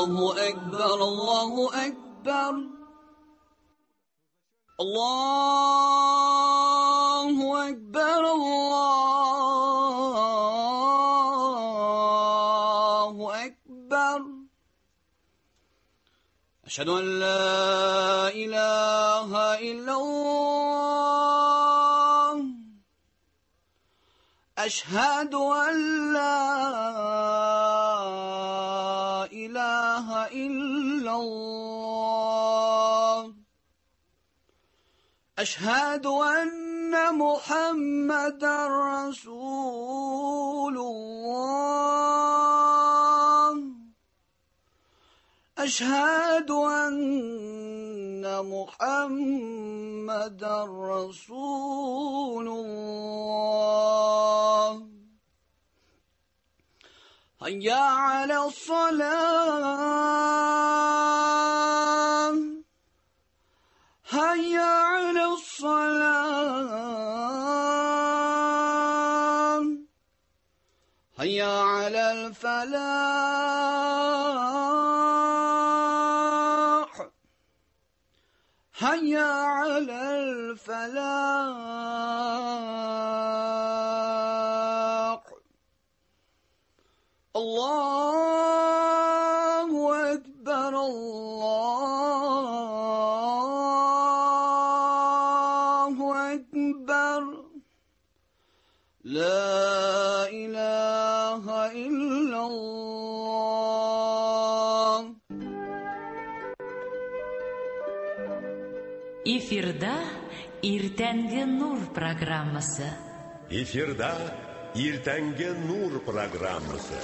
Allahu Ekber, Allahu Ekber. Allahu Ekber, Allahu Ekber. Eşhedü en la ilahe illallah. Eşhedü en la ilahe illallah. Eşhedü enne Muhammeden Resulullah. Eşhedü enne Muhammeden Resulullah. Hayya alas-salah. Hayya alas-salah. Hayya alal-falah. Hayya alal-falah. Allahu Ekber, Allahu Ekber. La ilahe illallah. Эфирда Иртәнге Нур программасы. Эфирда Иртәнге Нур программасы.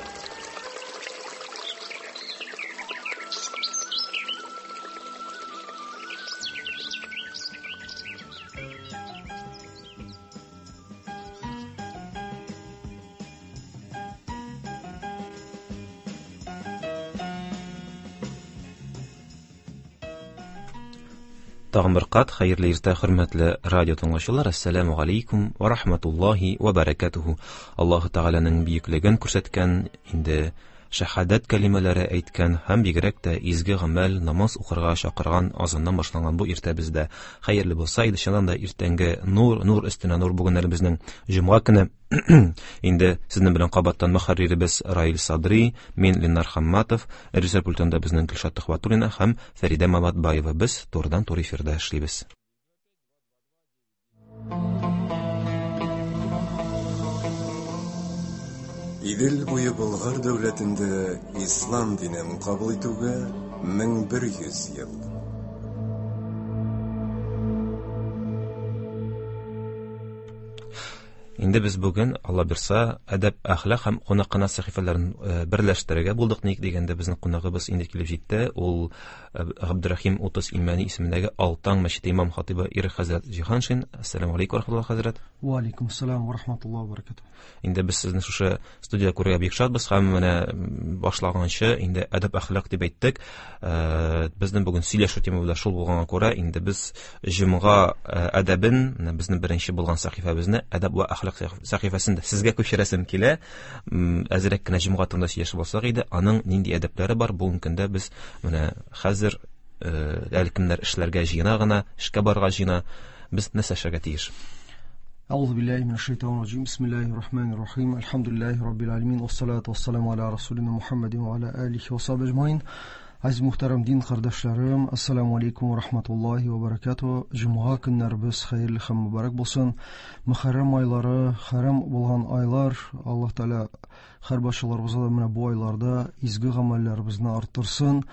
Тагын бер кат хәерле иртә, хөрмәтле радио тыңлаучылар. Ассаламу алейкум ва рахматуллахи ва баракатуху. Аллаһу Тәгаләнең бөеклеген күрсәткән, инде шәһадәт кәлимәләре әйткән һәм бигрәк тә изге гамәл, намаз укырга чакырган азаннан башланган бу иртә бездә хәерле булса иде. Чыннан да иртәнге нур, нур өстенә нур. Бүген әле безнең җомга көне. Инде сезнең белән кабаттан мөхәрриребез Раил Садри, мин Ленар Хамматов, режиссер пультында безнең Гөлшат Төхвәтуллина һәм Фәридә Маматбаева. Без турыдан-туры эфирда эшлибез. Идел буе Болгар дәүләтендә ислам динен кабул итүгә 1100 ел. Инде без бүген, Алла бирса, әдәп, әхлак һәм кунакхана сәхифәләрен берләштерергә булдык. Ник дигәндә, безнең кунагыбыз инде килеп җитте. Ул Габдурахим Утыз Имәни исемендәге Алтан мәчете имам хатибы Ирек хәзрәт Җиһаншин. Ассаламу алейкум ва рахматуллах, хәзрәт. Ва алейкум ассалам ва рахматуллах ва баракатух. Инде без сезне шушы студиядә күрергә бик шатбыз һәм менә башлаганчы инде әдәп, әхлак дип әйттек. Безнең бүген сөйләшү темабыз да шул булганга күрә, инде без җомга әдәбен, менә безнең беренче булган сәхифәбезне әдәп ва әхлак сәхифәсен дә сезгә күчерәсем килә. Әзрәк кенә җомга турында сөйләшеп алсак иде, аның нинди әдәпләре бар? Бүгенге көндә без менә хәзер әле кемнәр эшләргә җыена гына, эшкә барырга җыена, без нәрсә эшләргә тиеш? Әгъузу биллаһи минәш шайтанир раҗим. Бисмиллаһир рахманир рахим. Әлхәмдүлиллаһи раббил аламин. Вассалату вассаламу аля расулина Мухаммадин ва аля алихи ва сахбихи әҗмаин. Азиз мөхтәрәм дин кардәшләрем, ассаламу алейкум ва рахматуллахи ва баракатуһ. Җомга көннәребез хәерле һәм мөбарәк булсын. Мөхәррәм айлары, хәрам булган айлар, Аллаһ Тәгалә һәр барчаларыбызга да менә бу айларда изге гамәлләребезне арттырсын.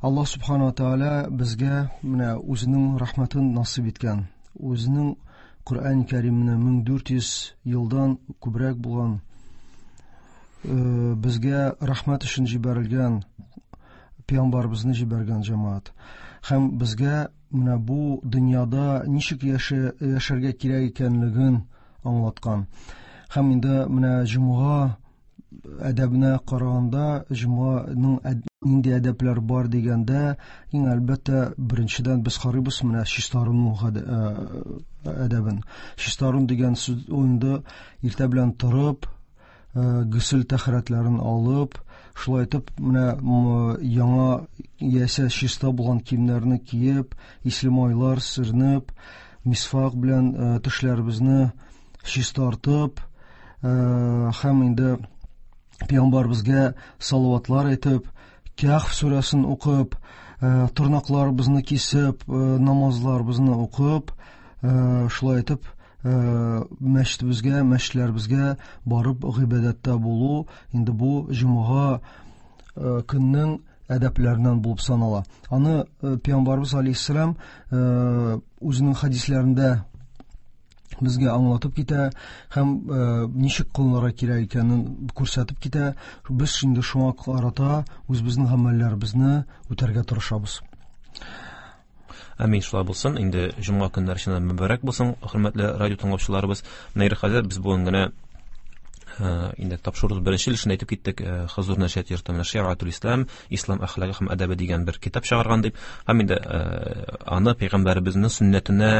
Аллаһ субхана ва тәгалә безгә менә үзенең рәхмәтен насыйп иткән. Үзенең Коръән Кәримне 1400 елдан күбрәк булган, безгә рәхмәт өчен җибәрелгән пәйгамбәребезне җибәргән җәмәгать. Һәм безгә менә бу дөньяда ничек яшәргә кирәк икәнлеген аңлаткан. Һәм инде менә җомга әдәбенә караганда, җомганың нинди әдәпләр бар дигәндә, иң әлбәттә беренчедән без карыйбыз менә чистарыну әдәбен. Чистарыну дигән сүз инде иртә белән торып, гөсел тәһарәтләрен алып, Шулай итеп, менә яңа яисә чиста булган киемнәрне киеп, исле майлар сөрнеп, мисвак белән тешләребезне чистартып, һәм инде пәйгамбәребезгә салаватлар әйтеп, Кәһф сүрәсен укып, тырнакларыбызны кисеп, намазларыбызны укып, шулай итеп, мәчетебезгә, мәчетләребезгә барып гыйбадәттә булу инде бу җомга көннең әдәпләреннән булып санала. Аны пәйгамбәребез алейһиссәлам үзенең хәдисләрендә безгә аңлатып китә һәм ничек кылынырга кирәк икәнен күрсәтеп китә. Без инде шуңа карата үзебезнең гамәлләребезне үтәргә тырышабыз. Амин, шулай булсын. Инде җомга көннәре чыннан мөбарәк булсын, хөрмәтле радио тыңлаучыларыбыз. Менә хәзер без бүген генә инде тапшыруыбыз беренче өлешендә әйтеп киттек, Хозур нәшрият йорты менә Шиатул Ислам, Ислам әхлагы һәм әдәбе дигән бер китап чыгарган дип. Һәм инде аны пәйгамбәребезнең сөннәтенә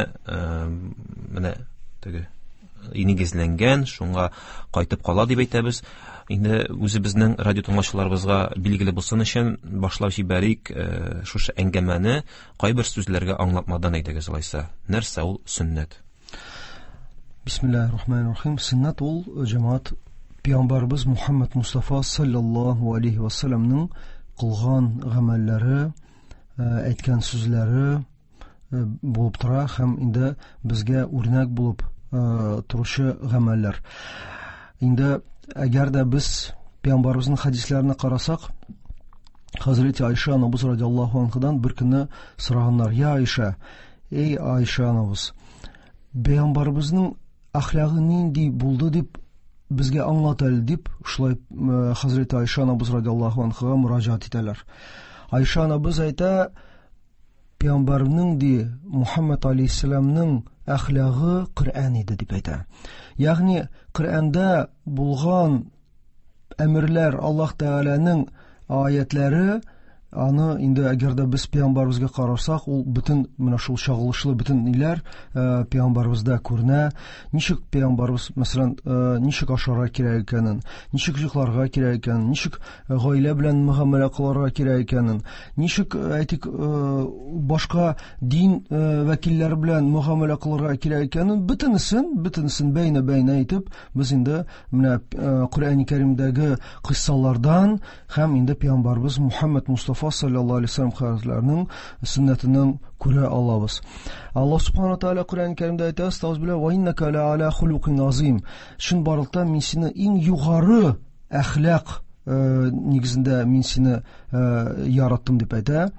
менә теге нигезләнгән, шуңа кайтып кала дип әйтәбез. Инде үзебезнең радио тыңлаучыларыбызга билгеле булсын өчен башлап җибәрик шушы әңгәмәне кайбер сүзләргә аңлатмадан әйдәгез алайса. Нәрсә ул сөннәт? Бисмиллахир-рахманир-рахим. Сөннәт ул җәмәгать пәйгамбәребез Мухаммад Мустафа саллаллаһу алейхи ва салламның кылган гамәлләре, әйткән сүзләре булып тора һәм инде безгә үрнәк булып торучы гамәлләр. Инде әгәр дә без пәйгамбәребезнең хәдисләренә карасак, Хәзрәти Айша анабыз радиаллаһу анһадан бер көнне сораганнар: "Я Айша, эй Айша анабыз, пәйгамбәребезнең әхлагы нинди булды дип безгә аңлат әле", дип шулай Хәзрәти Айша анабыз радиаллаһу анһага мөрәҗәгать итәләр. Айша анабыз әйтә: "Пәйгамбәрнең ди Мухаммад алейһиссәламның әхлагы Коръән иде", дип әйтә. Ягъни Коръәндә булган әмерләр, Аллаһ Тәгаләнең аятләре, аны инде әгәр дә без пәйгамбәребезгә карасак, ул бөтен менә шул чагылышлы бөтен ниләр пәйгамбәребездә күренә. Ничек пәйгамбәребез, мәсәлән, ничек ашарга кирәк икәнен, ничек йокларга кирәк икәнен, ничек гаилә белән мөгамәлә кылырга кирәк икәнен, ничек, әйтик, башка дин вәкилләре белән мөгамәлә кылырга кирәк икәнен, бөтенесен бәйнә-бәйнә итеп, без инде менә Коръәни Кәримдәге кыйссалардан һәм инде пәйгамбәребез Мухаммад Мустафа саллаллаһу алейһи вәсәлләм хәзрәтләренең сөннәтеннән күрә алабыз. Аллаһ субхана тааля Коръәни Кәримдә әйтә: "Астагфирулла ва иннака ла аля хулукин азим". Чынбарлыкта мин сине иң югары әхлак нигезендә мин сине яраттым дип әйтә.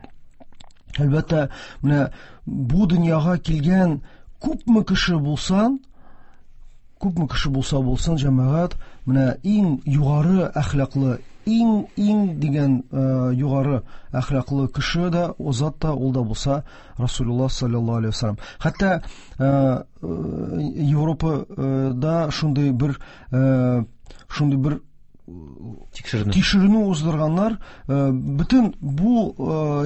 Әлбәттә, менә бу дөньяга килгән күпме кеше булса, күпме кеше булса булсын, җәмәгать, менә иң югары әхлаклы, иң дигән югары әхлаклы кеше дә, ул зат та, ул да булса Расулуллаһ саллаллаһу алейһи ва саллям. Хәтта Европада шундый бер тикшеренү уздырганнар, бөтен бу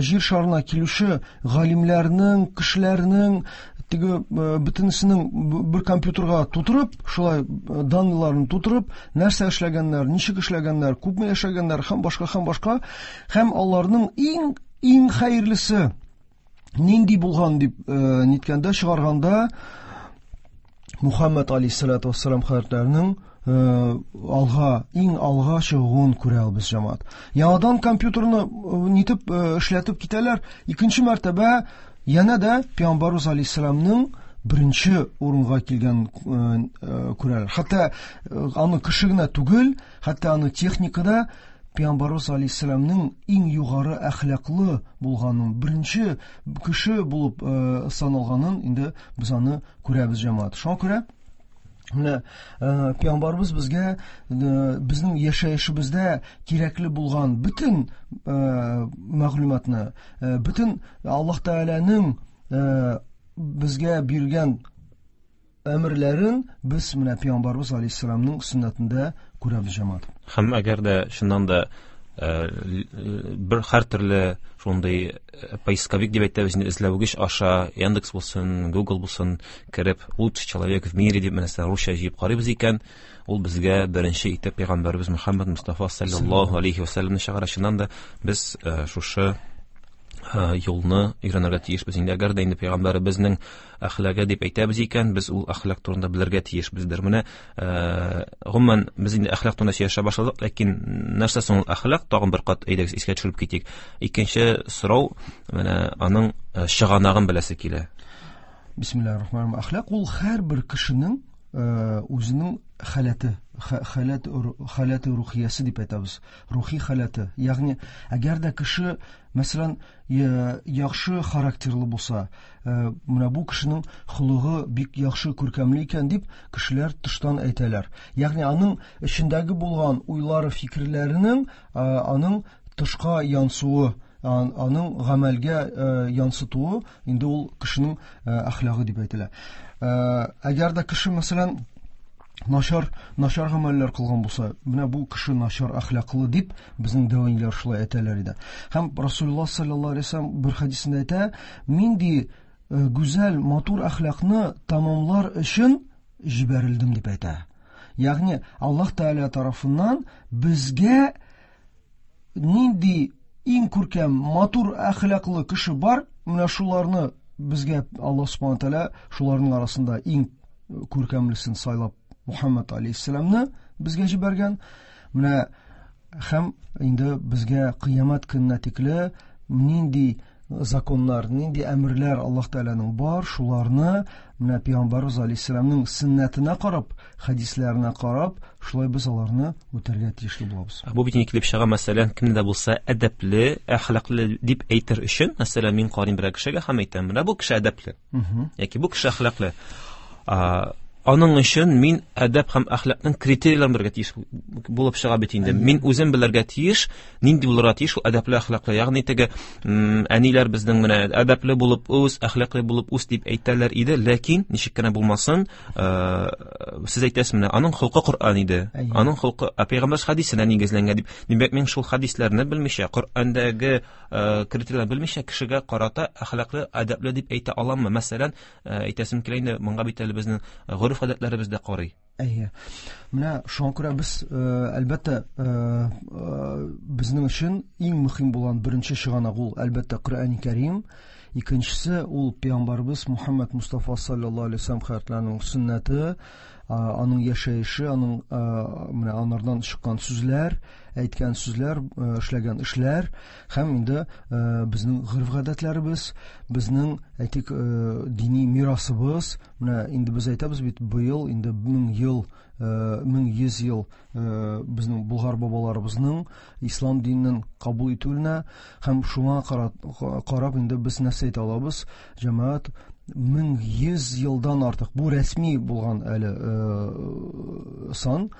җир шарына килүче галимнәрнең, кешеләрнең теге бөтенесенең бер компьютерга тутырып, шулай данныйларын тутырып, нәрсә эшләгәннәр, ничек эшләгәннәр, күпме яшәгәннәр һәм башка, һәм башка, һәм аларның иң хәерлесе нинди булган дип ниткәндә чыгарганда Мухаммад алейһиссалату вассалам хәзрәтләренең иң алга чыгуын күрә алабыз, җәмәгать. Яңадан компьютерны нитеп эшләтеп китәләр. Икенче мәртәбә янә дә Пәйгамбәрбез алейһиссаламның беренче урынга килгән күрәләр. Хәтта аны кеше генә түгел, хәтта аны техникада Пәйгамбәрбез алейһиссаламның иң югары әхлаклы булганын, беренче кеше булып саналганын инде без аны күрәбез, җәмәгать. Шуңа күрә менә Пәйгамбәрбез безгә безнең яшәешебездә кирәкле булган бөтен мәгълүматны, бөтен Аллаһ Тәгаләнең безгә биргән әмерләрен без менә Пәйгамбәрбез алейһиссәламның сөннәтендә күрәбез, җәмәгать. Һәм әгәр дә чыннан да бер һәр төрле шундый поисковик дип әйтәбез инде, эзләүгеч аша Яндекс булсын, Google булсын, кереп лучший человек в мире дип менә русча җыеп карыйбыз икән, ул безгә беренче итеп пәйгамбәребез Мөхәммәд Мустафа саллаллаһу алейхи ва сәлләмне чыгара. Чыннан да без шушы юлны өйрәнергә тиешбез. Инде әгәр дә инде пәйгамбәребезнең әхлагы дип әйтәбез икән, без ул әхлак турында белергә тиешбездер. Менә гомумән без инде әхлак турында сөйләшә башладык, ләкин нәрсә соң ул әхлак? Тагын бер кат әйдәгез искә төшереп китик. Икенче сорау, менә аның чыганагын беләсе килә. Бисмиллаһир-рахманир-рахим. Әхлак ул һәрбер кешенең үзенең халәте, халәт, халәте рухиясе дип әйтәбез. Рухи халәте. Ягъни, әгәр дә кеше, мәсәлән, яхшы характерлы булса, менә бу кешенең холыгы бик яхшы, күркәмле икән дип кешеләр тыштан әйтәләр. Ягъни аның эчендәге булган уйлары, фикерләренең аның тышка янсуы, аның гамәлгә янсытуы инде ул кешенең әхлагы дип әйтелә. Әгәр дә кеше, мәсәлән, начар гамәлләр кылган булса, менә бу кеше начар әхлаклы дип безнең дәү шулай әйтәләр иде. Һәм Расулуллаһ саллаллаһу алейһи вәсәлләм бер хәдисендә әйтә, мин ди гүзәл, матур әхлакны тамамлар өчен җибәрелдем дип әйтә. Ягъни Аллаһ Тәгалә тарафыннан безгә нинди иң күркәм, матур әхлаклы кеше бар, менә шуларны безгә Аллаһ Субхану Тәгалә шуларның арасында иң күркәмлесен сайлап Мухаммад алейхиссәламны безгә җибәргән. Менә һәм инде безгә кыямәт көненә тикле нинди законнар, нинди әмерләр Аллаһ Тәгаләнең бар, шуларны менә Пәйгамбәрбез алейхиссәламның сөннәтенә карап, хәдисләренә карап, шулай без аларны үтәргә тиешле булабыз. Бу бит инде килеп чыга, мәсәлән, кемне дә булса әдәпле, әхлаклы дип әйтер өчен, мәсәлән, мин карыйм берәр кешегә һәм әйтәм, менә бу кеше әдәпле. Яки бу кеше әхлаклы. Аның өчен мин әдәп һәм әхлакның критерийларын белергә тиеш булып чыга бит инде. Мин үзем белергә тиеш, нинди булырга тиеш ул әдәпле, әхлаклы. Ягъни теге әниләр безнең менә әдәпле булып үс, әхлаклы булып үс дип әйтәләр иде, ләкин ничек кенә булмасын, сез әйтәсез менә аның холкы Коръән иде. Аның холкы пәйгамбәр хәдисенә нигезләнгән дип. Димәк, мин шул хәдисләрне белмичә, Коръәндәге критерийларны белмичә кешегә карата әхлаклы, әдәпле дип әйтә аламмы? Мәсәлән, әйтәсем килә инде, моңа бит әле безнең гореф-гадәтләребез дә карый. Әйе. Менә шуңа күрә без, әлбәттә, безнең өчен иң мөһим булган беренче чыганак ул, әлбәттә, Коръән Кәрим. Икенчесе ул пәйгамбәрбез Мухаммад Мустафа саллаллаһу алейһи вәсәлләм хәзрәтләренең сөннәте, аның яшәеше, аның менә анардан чыккан сүзләр, әйткән сүзләр, эшләгән эшләр һәм инде безнең гореф-гадәтләребез, безнең, әйтик, дини мирасыбыз. Менә инде без әйтәбез бит, быел инде 1000 ел, 1100 ел безнең булгар бабаларыбызның ислам динен кабул итүенә һәм шуңа карап инде без нәрсә әйтә алабыз? Җәмәгать, 1100 елдан артык бу рәсми булган әле сан,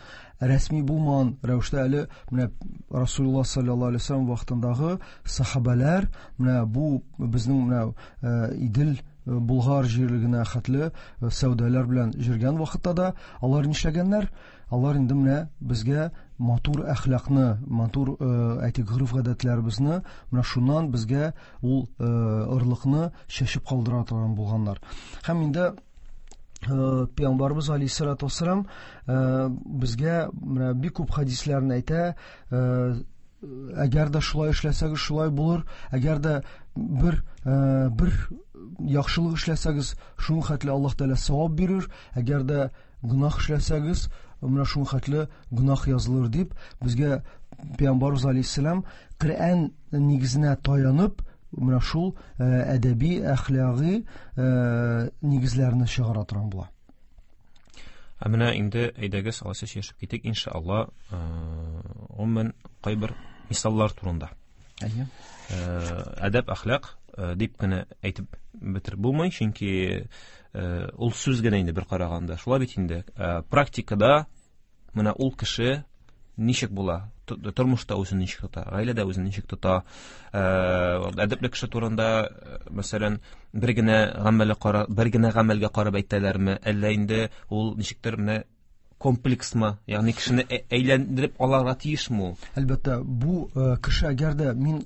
рәсми булмаган рәвештә әле менә Расулуллаһ саллаллаһу алейһи вәсәлләм вакытындагы сахабәләр менә бу безнең менә Идел Булгар җирлегенә хәтле сәүдәләр белән йөргән вакытта да алар нишләгәннәр? Алар инде менә безгә матур әхлакны, матур, әйтик, гореф-гадәтләребезне, менә шуннан безгә ул ырлыкны чәчеп калдыра торган булганнар. Һәм инде Пәйгамбәрбез алейһиссалату вассалам безгә менә бик күп хәдисләрен әйтә, әгәр дә шулай эшләсәгез, шулай булыр, әгәр дә бер яхшылык эшләсәгез, шуның хәтле Аллаһ Тәгалә савап бирер, әгәр дә гөнаһ эшләсәгез, менә шуның хәтле гөнаһ язылыр дип, безгә Пәйгамбәрбез алейһиссалам Коръән нигезенә таянып, менә шул әдәби, әхлаги нигезләрне чыгара торган була. Ә менә инде әйдәгез, алайса сөйләшеп китик, иншалла, гомумән кайбер мисаллар турында. Әйе. Әдәп, әхлак дип кенә әйтеп бетереп булмый, чөнки ул сүз генә инде бер караганда. Шулай бит инде. Практикада менә ул кеше ничек була? Тормышта үзен ничек тота, гаиләдә үзен ничек тота? Әдәпле кеше турында, мәсәлән, бер генә гамәлгә карап, бер генә гамәлгә карап әйтәләрме? Әллә инде ул ничектер менә комплексмы? Ягъни кешене әйләндереп аларга тиешме ул? Әлбәттә, бу кеше әгәр дә мин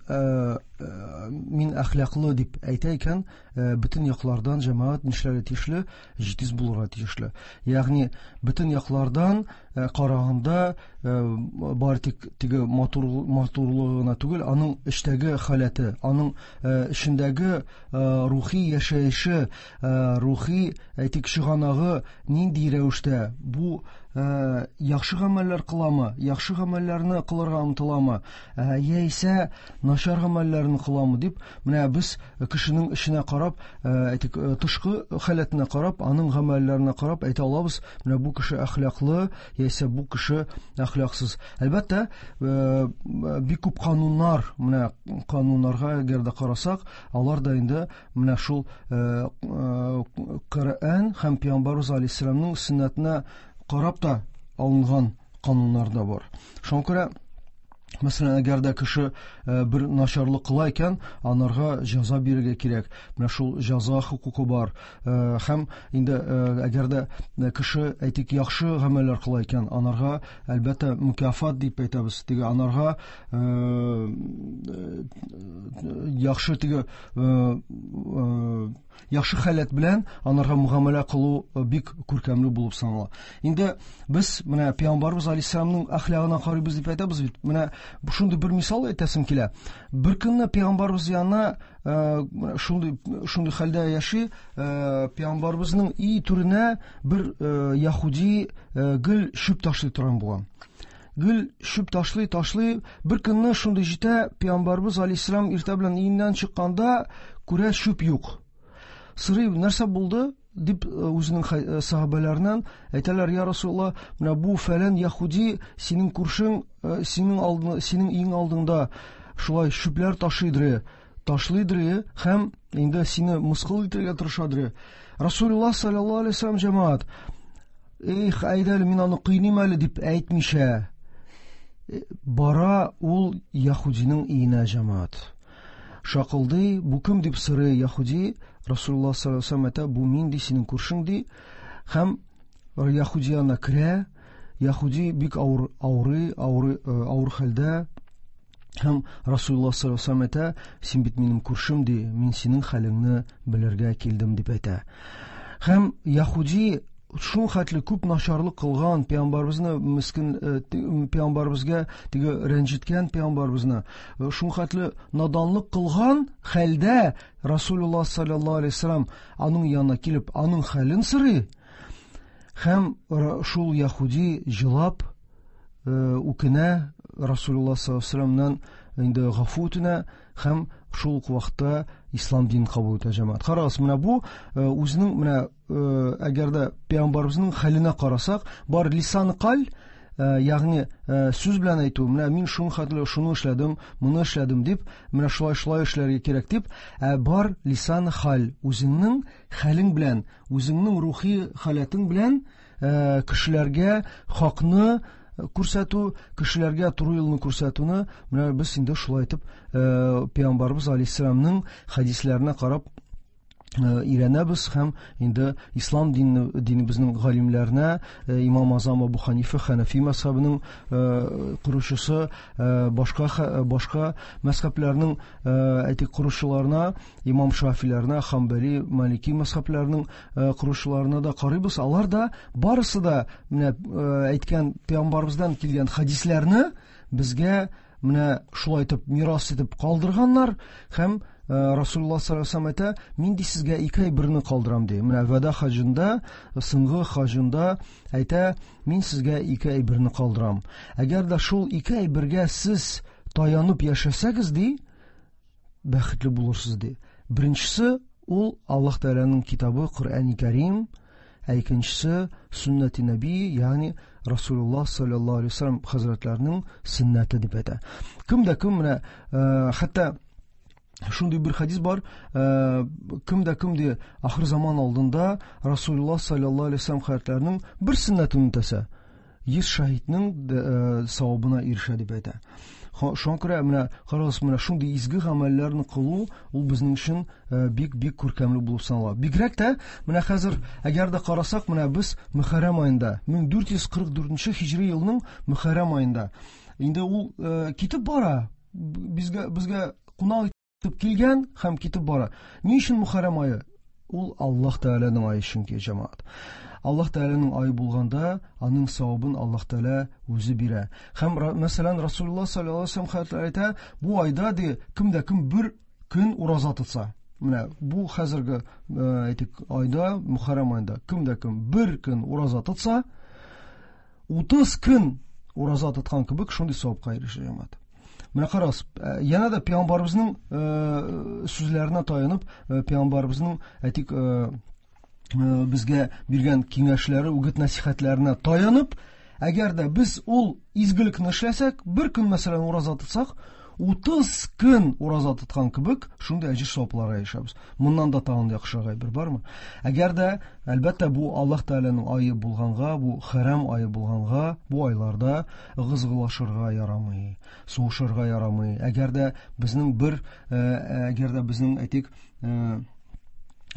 мин әхлаклы дип әйтә икән, бөтен яклардан җәмәгать нишләргә тиешле? Җитез булырга тиешле. Ягъни бөтен яклардан караганда бары тик теге матур матурлыгы гына түгел, аның эчтәге халәте, аның эчендәге рухи яшәеше, рухи әйтик чыганагы нинди рәвештә, бу яхшы гамәлләр кыламы, яхшы гамәлләрне кылырга омтыламы, яисә начар гамәлләрне кыламы дип, менә без кешенең эченә карап, әйтик, тышкы халәтенә карап, аның гамәлләренә карап әйтә алабыз, менә бу кеше әхлаклы, яисә бу кеше әхлаксыз. Әлбәттә, бик күп кануннар, менә кануннарга әгәр дә карасак, алар да инде менә шул Коръән һәм Пәйгамбәрбез алейһиссәламның сөннәтенә карап та алынган кануннар да бар. Шуңа күрә, мәсәлән, әгәр дә кеше бер начарлык кыла икән, анарга җәза бирергә кирәк. Менә шул җәза хокукы бар. Һәм инде әгәр дә кеше, әйтик, яхшы гамәлләр кыла икән, анарга, әлбәттә, мукафат дип әйтәбез. Теге анарга яхшы теге яхшы халәт белән анарга мөгамәлә кылу бик күркәмле булып санала. Инде без менә Пәйгамбәрбез алейһиссәламның әхлагына карыйбыз дип әйтәбез бит. Менә шундый бер мисал әйтәсем килә. Бер көнне Пәйгамбәрбез янына шундый хәлдә яши, Пәйгамбәрбезнең өй түренә бер яһүди гел чүп ташлый торган булган. Гел чүп ташлый, ташлый. Бер көнне шундый җитә, Пәйгамбәрбез алейһиссәлам иртә белән өеннән чыкканда күрә чүп юк. Сорый, нәрсә булды? Дип үзенең сахабәләреннән әйтәләр, я Расулалла, менә бу фәлән яһүди синең күршең, синең алдың, синең өең алдыңда шулай чүпләр ташыйдыр, ташлыйдыр һәм инде сине мыскыл итәргә тырышадыр. Расулулла саллаллаһу алейһи вәсәлләм җәмәгать, эх, әйдә әле мин аны кыйныйм әле дип әйтмичә, бара ул яһүдинең өенә җәмәгать. Шакылдый, бу кем дип сорый яһүди, Расулулла саллаллаһу алейһи вәсәлләм әйтә, бу мин ди, синең күршең ди. Һәм яһүди янына керә, яһүди бик авыр авырый, авырый, авыр хәлдә. Һәм Расулулла саллаллаһу алейһи вәсәлләм әйтә, син бит минем күршем ди, мин синең хәлеңне белергә килдем дип әйтә. Һәм яһүди шул хәтле күп начарлык кылган пәйгамбәребезне мискин, пәйгамбәребезгә теге рәнҗеткән пәйгамбәребезне, шул хәтле наданлык кылган хәлдә Расулулла саллаллаһу алейһи вәсәлләм аның янына килеп, аның хәлен сорый. Һәм шул яһүди җылап, үкенә, Расулулла саллаллаһу алейһи вәсәлләмнән инде гафу үтенә һәм шул ук вакытта ислам динен кабул итә җәмәгать. Карагыз, менә бу үзенең менә әгәр дә пәйгамбәребезнең хәленә карасак, бар лисан каль, ягъни сүз белән әйтү, менә мин шуның хәтле шуны эшләдем, моны эшләдем дип, менә шулай шулай эшләргә кирәк дип, ә бар лисан хал, үзеңнең хәлең белән, үзеңнең рухи халәтең белән кешеләргә хакны күрсәтү, кешеләргә туры юлны күрсәтүне, менә без инде шулай итеп пәйгамбәребез алейһиссәламның хәдисләренә карап өйрәнәбез һәм инде ислам динебезнең галимнәренә, Имам Азам Абу Ханифа Ханафи мәзһәбенең коручысы, башка мәзһәбләрнең, әйтик, коручыларына, Имам Шафиләренә, Хамбали, Малики мәзһәбләренең коручыларына да карыйбыз. Алар да барысы да менә әйткән пәйгамбәребездән килгән хәдисләрне безгә менә шулай итеп мирас итеп калдырганнар һәм Расулулла саллаллаһу алейһи ва саллям әйтә, мин ди сезгә ике әйберне калдырам ди. Менә вәда хаҗында, соңгы хаҗында әйтә, мин сезгә ике әйберне калдырам. Әгәр дә шул ике әйбергә сез таянып яшәсәгез ди, бәхетле булырсыз ди. Беренчесе ул Аллаһ Тәгаләнең китабы Коръәни Кәрим, ә икенчесе сөннәти нәби, ягъни Расулулла саллаллаһу алейһи ва саллям хәзрәтләренең сөннәте дип әйтә. Кем дә кем менә, хәтта шундый бер хадис бар, кем дә кем ди ахыр заман алдында Расулулла саллаллаһу алейһи ва саллям хәзрәтләренең бер сөннәтен үтәсә, 100 шаһитнең савабына ирешә дип әйтә. Шуңа күрә менә карагыз, менә шундый изге гамәлләрне кылу ул безнең өчен бик-бик күркәмле булып санала. Бигрәк тә менә хәзер әгәр дә карасак, менә без Мөхәррәм аенда, 1444 һиҗри елның Мөхәррәм аенда. Инде ул китеп бара, безгә кунак Килгән һәм китеп бара. Ни өчен Мөхәррәм ае? Ул Аллаһ Тәгаләнең ае чөнки, җәмәгать. Аллаһ Тәгаләнең ае булганда, аның савабын Аллаһ Тәгалә үзе бирә. Һәм мәсәлән, Расулуллаһ саллаллаһу алейһи вәсәлләм хәзрәтләре әйтә, бу айда ди, кем дә кем бер көн ураза тотса. Менә бу хәзерге, әйтик, айда, Мөхәррәм аенда кем дә кем бер көн ураза тотса, 30 көн ураза тоткан кебек шундый савапка ирешә, җәмәгать. Менә карагыз, янә дә пәйгамбәребезнең сүзләренә таянып, пәйгамбәребезнең, әйтик, безгә биргән киңәшләре, үгет-нәсихәтләренә таянып, әгәр дә без ул изгелекне эшләсәк, бер көн, мәсәлән, ураза тотсак, 30 көн ураза тоткан кебек, шундый әҗер савапларга ирешәбез. Моннан да тагын яхшырак әйбер бармы? Әгәр дә, әлбәттә, бу Аллаһ Тәгаләнең ае булганга, бу хәрам ае булганга, бу айларда ыгы-зыгылашырга ярамый, сугышырга ярамый. Әгәр дә безнең бер, әгәр дә безнең, әйтик,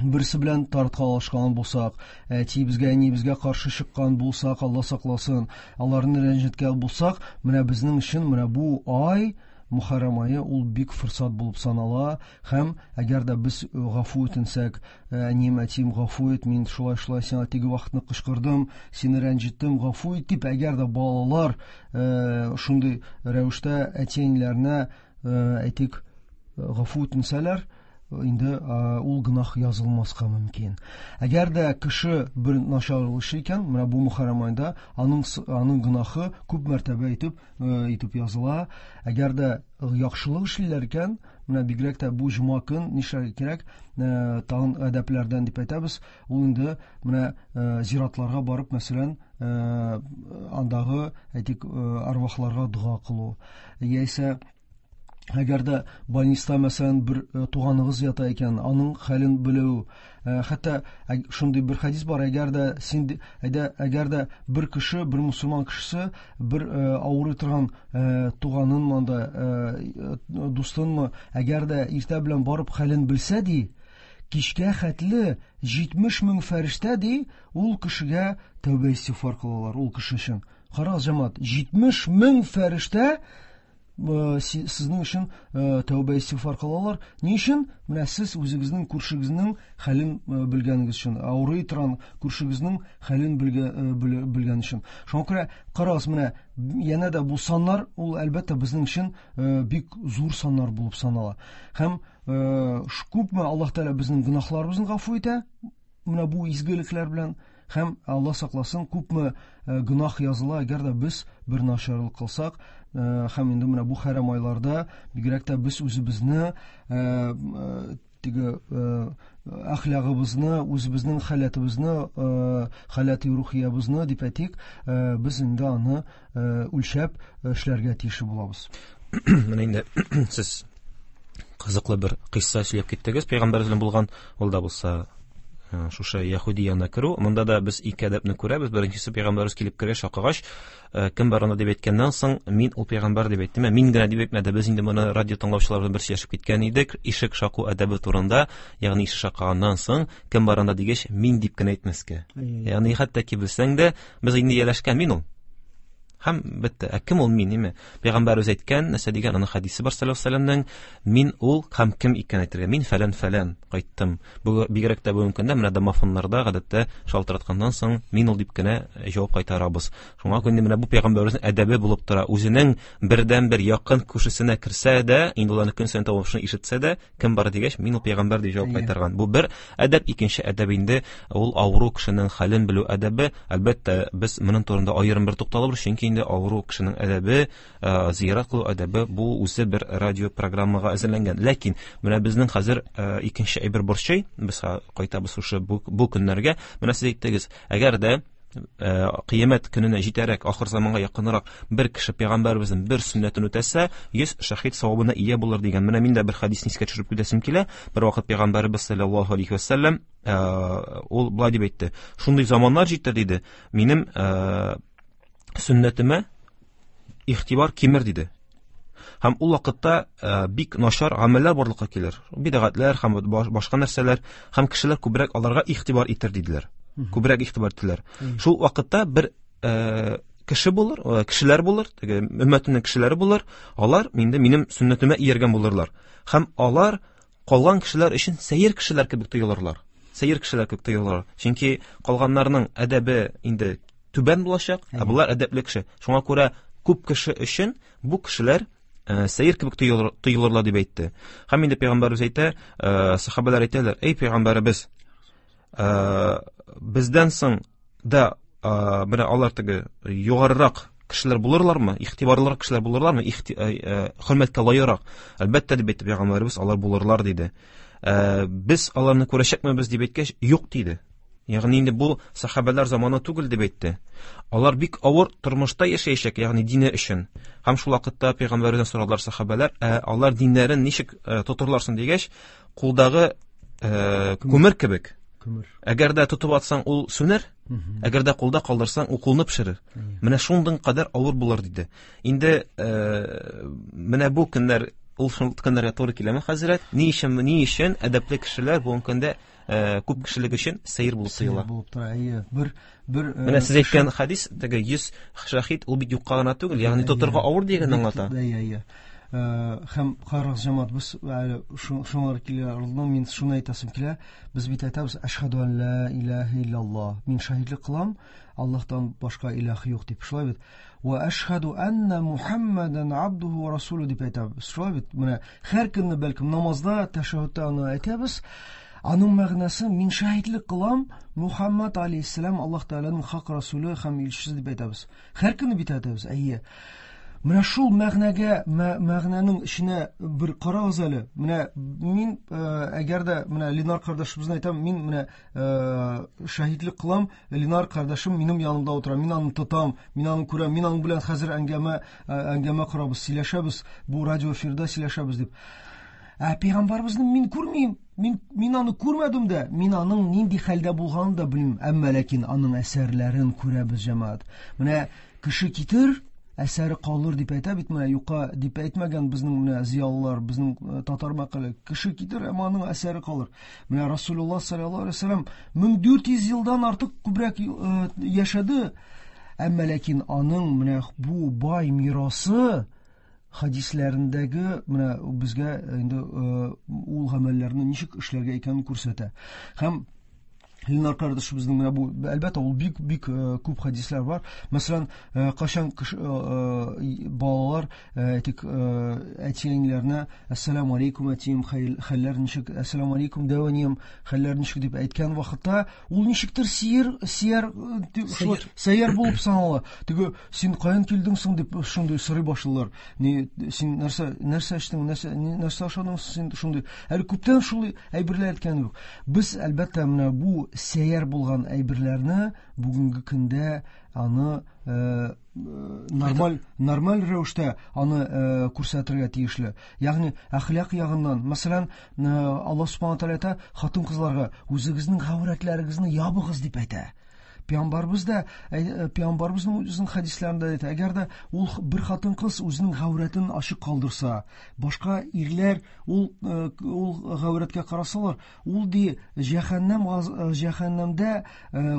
берсе белән тарткалашкан булсак, әтиебезгә, әниебезгә каршы чыккан булсак, Алла сакласын, аларны рәнҗеткән булсак, менә безнең өчен менә бу ай, Мөхәррәм ае, ул бик форсат булып санала, һәм әгәр дә без гафу үтенсәк, әнием, әтием, гафу ит, мин шулай-шулай сиңа теге вакытны кычкырдым, сине рәнҗеттем, гафу ит дип, әгәр дә балалар шундый рәвештә әти-әниләренә, әйтик, гафу үтенсәләр, инде ул гөнаһ язылмаска мөмкин. Әгәр дә кеше бер начарлык эшли икән, менә бу Мөхәррәм аенда аның гөнаһы күп мәртәбә итеп языла. Әгәр дә яхшылык эшлиләр икән, менә бигрәк тә бу җомга көн нишләргә кирәк, тагын әдәпләрдән дип әйтәбез, ул инде менә зиратларга барып, мәсәлән, андагы, әйтик, арвахларга дога кылу, яисә әгәр дә больниста, мәсәлән, бер туганыгыз ята икән, аның хәлен белү, хәтта шундый бер хәдис бар, әгәр дә син, әйдә, әгәр дә бер кеше, бер мусульман кешесе бер авырый торган туганынмы анда, дустынмы, әгәр дә иртә белән барып хәлен белсә, ди, кичкә хәтле 70 мең фәрештә, ди, ул кешегә тәүбә истигъфар кылалар, ул кеше өчен. Карагыз, җәмәгать, 70 мең фәрештә сезнең өчен тәүбә истигъфар кылалар. Ни өчен? Менә сез үзегезнең күршегезнең хәлен белгәнегез өчен, авырый торган күршегезнең хәлен белгән өчен. Шуңа күрә карагыз, менә янә дә бу саннар, ул әлбәттә безнең өчен бик зур саннар булып санала. Һәм күпме Аллаһ Тәгалә безнең гөнаһларыбызны гафу итә, менә бу изгелекләр белән, һәм Аллаһ сакласын, күпме гөнаһ языла, әгәр дә без бер начарлык кылсак, һәм инде менә бу хәрам айларда бигрәк тә без үзебезне, теге әхлагыбызны, үзебезнең халәтебезне, халәти рухиябезне дип әйтик, без инде аны үлчәп эшләргә тиеш булабыз. Менә инде сез кызыклы бер кыйсса сөйләп киттегез, пәйгамбәребез белән булган, ул да булса шушы яһүди янына керү. Монда да без ике әдәпне күрәбез. Беренчесе, пәйгамбәребез килеп керә, шакыгач, кем бар анда дип әйткәннән соң, мин ул пәйгамбәр дип әйттем. Мин генә дип әйтмәде. Без инде моны радио тыңлаучылар белән бер сөйләшеп киткән идек. Ишек шаку әдәбе турында, ягъни ишек шакыганнан соң, кем бар анда дигәч, мин дип кенә әйтмәскә. Ягъни хәтта ки белсәң дә, без инде ияләшкән мин ул. Һәм бетте. Ә кем ул мин, ниме? Пәйгамбәр үзе әйткән, нәрсә дигән, аның хәдисе бар саллаллаһу алейһи ва сәлләмнең, мин ул һәм кем икәнен әйтергә. Мин фәлән-фәлән кайттым. Бу бигрәк тә бүгенге көндә менә домофоннарда гадәттә шалтыратканнан соң мин ул дип кенә җавап кайтарабыз. Шуңа күрә менә бу пәйгамбәребезнең әдәбе булып тора. Үзенең бердән-бер якын күршесенә керсә дә, инде ул аны көн саен тавышын ишетсә дә, кем бар дигәч, мин ул пәйгамбәр дип җавап кайтарган. Бу бер әдәп, икенче әдәп инде ул авыру кешенең хәлен белү әдәбе. Әлбәттә, без моның турында аерым бер тукталабыз, чөнки инде авыру кешенең әдәбе, зиярат кылу әдәбе бу үзе бер радио программага әзерләнгән. Ләкин менә безнең хәзер икенче әйбер борчый, без кайтабыз шушы бу көннәргә. Менә сез әйттегез, әгәр дә кыямәт көненә җитәрәк, ахыр заманга якынрак бер кеше пәйгамбәребезнең бер сөннәтен үтәсә, 100 шәһид савабына ия булыр дигән. Менә мин дә бер хәдисне искә төшереп китәсем килә. Бер вакыт пәйгамбәребез саллаллаһу алейхи ва сәлләм, ул болай дип әйтте: шундый заманнар җитәр диде, минем сөннәтемә игътибар кимер диде. Һәм ул вакытта бик начар гамәлләр барлыкка килер. Бидәгатләр һәм башка нәрсәләр, һәм кешеләр күбрәк аларга игътибар итер диделәр. Күбрәк игътибар иттеләр. Шул вакытта бер кеше булыр, кешеләр булыр, теге өммәтемнең кешеләре булыр, алар инде минем сөннәтемә ияргән булырлар. Һәм алар калган кешеләр өчен сәер кешеләр кебек тоелырлар. Сәер кешеләр кебек тоелырлар. Чөнки калганнарның әдәбе инде түбән булачак, ә болар әдәпле кеше. Шуңа күрә күп кеше өчен бу кешеләр сәер кебек тоелырлар дип әйтте. Һәм инде пәйгамбәребез әйтә, сахабалар әйтәләр: "Эй пәйгамбәребез, бездән соң да менә алар теге югарырак кешеләр булырлармы, игътибарлырак кешеләр булырлармы, хөрмәткә лаеграк?" Әлбәттә, дип әйтте пәйгамбәребез, алар булырлар диде. Без аларны күрәчәкмебез дип әйткәч, юк диде. Ягъни инде бу сахабәләр заманы түгел дип әйтте. Алар бик авыр тормышта яшәячәк, ягъни дине өчен. Һәм шул вакытта пәйгамбәрдән сорадылар сахабәләр, алар диннәрен ничек тотырлар соң дигәч, кулдагы күмер кебек. Күмер. Әгәр дә тотып атсаң, ул сүнер, әгәр дә кулда калдырсаң, ул кулны пешерер. Менә шундый кадәр авыр булыр диде. Инде менә бу көннәр ул шул көннәргә туры киләме, хәзрәт? Ни өчен әдәпле кешеләр бүгенге көндә күп кешелек өчен сәер булып тоела? Сәер булып тора, әйе. Бер менә сез әйткән хадис, теге 100 шәһид, ул бит юкка гына түгел, ягъни тотырга авыр дигәнне аңлата. Әйе, әйе. Һәм карагыз, җәмәгать, без әле шуңар килә алдым, мин шуны әйтәсем килә. Без бит әйтәбез, әшһәду ан ла илаһа илляллаһ. Мин шаһидлек кылам, Аллаһтан башка илаһ юк дип. Шулай бит. Ва әшһәду анна Мухаммадан абдуху ва расулу дип әйтәбез. Шулай бит. Менә һәр көнне бәлкем намазда, тәшәһһүдтә аны әйтәбез. Аның мәгънәсе, мин шаһидлек кылам, Мухаммад алейһиссәлам Аллаһ Тәгаләнең хак расулы һәм илчесе дип әйтәбез. Һәр көнне бит әйтәбез, әйе. Менә шул мәгънәгә, мәгънәнең эченә бер карагыз әле. Менә мин, әгәр дә менә Ленар кардәшебезне әйтәм, мин менә шаһитлек кылам, Ленар кардәшем минем янымда утыра, мин аны тотам, мин аны күрәм, мин аның белән хәзер әңгәмә корабыз, сөйләшәбез, бу радио эфирда сөйләшәбез дип. Ә пәйгамбәребезне мин күрмим, мин аны күрмәдем дә, мин аның нинди хәлдә булганын да белмим, әмма ләкин аның әсәрләрен күрәбез, җәмәгать. Менә кеше китер, әсәре калыр дип әйтә бит, менә юкка дип әйтмәгән безнең менә зыялылар, безнең татар мәкале, кеше китер, әмма аның әсәре калыр. Менә Расулуллаһ саллаллаһу алейһи ва сәлләм 1400 елдан артык күбрәк яшәде, әмма ләкин аның менә бу бай мирасы хадисләрендәге менә безгә инде ул гамәлләрне ничек эшләргә икәнен күрсәтә. Һәм Ленар кардәшебезнең менә бу, әлбәттә, ул бик, бик күп хадисләр бар. Мәсәлән, кайчан балалар, әйтик, әти-әниләренә Ассаламу алейкум, әтием, хәлләр ничек? Ассаламу алейкум, дәү әнием, хәлләр ничек дип әйткән вакытта, ул ничектер сәер булып санала. Теге, син каян килдең соң дип шундый сорый башлыйлар. Ни, син нәрсә эчтең, нәрсә ашадың син шундый. Әле күптән шулай әйберләр әйткән юк. Без әлбәттә менә бу сәер булган әйберләрне бүгенге көндә аны нормаль рәвештә аны күрсәтергә тиешле. Ягъни әхлак ягыннан, мәсәлән, Аллаһ субхана тааля әйтә, хатын-кызларга үзегезнең гаурәтләрегезне ябыгыз дип әйтә. Пәйгамбәребез дә, пәйгамбәребезнең үзенең хәдисләрендә әйтә, әгәр дә ул бер хатын-кыз үзенең гаурәтен ачык калдырса, башка ирләр ул гаурәткә карасалар, ул ди җәһәннәмдә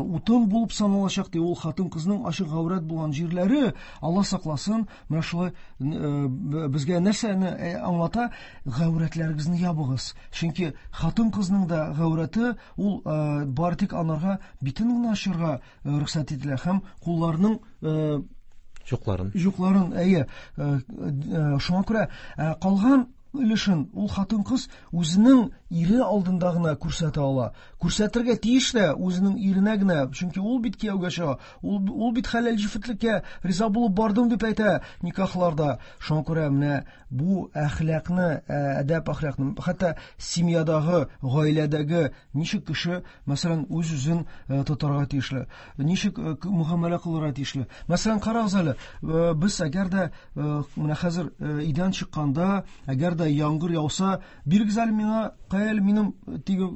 утын булып саналачак ди. Ул хатын-кызның ачык гаурәт булган җирләре, Алла сакласын, менә шулай безгә нәрсәне аңлата? Гаурәтләрегезне ябыгыз. Чөнки хатын-кызның да гаурәте ул бары тик анарга битен генә ачырга рөхсәт ителә һәм кулларының Жукларын. Жукларын, әйе. Шуңа күрә калган өлешен ул хатын-кыз үзенең ире алдында гына күрсәтә ала. Күрсәтергә тиеш тә үзенең иренә генә, чөнки ул бит кияүгә чыга, ул бит хәләл җефетлеккә риза булып бардым дип әйтә никахларда. Шуңа күрә менә бу әхлакны, әдәп әхлакны, хәтта семьядагы, гаиләдәге ничек кеше, мәсәлән, үз-үзен тотарга тиешле, ничек мөгамәлә кылырга тиешле. Мәсәлән, карагыз әле, без әгәр дә менә хәзер өйдән чыкканда, әгәр дә яңгыр яуса, бирегез әле миңа, кая әле минем теге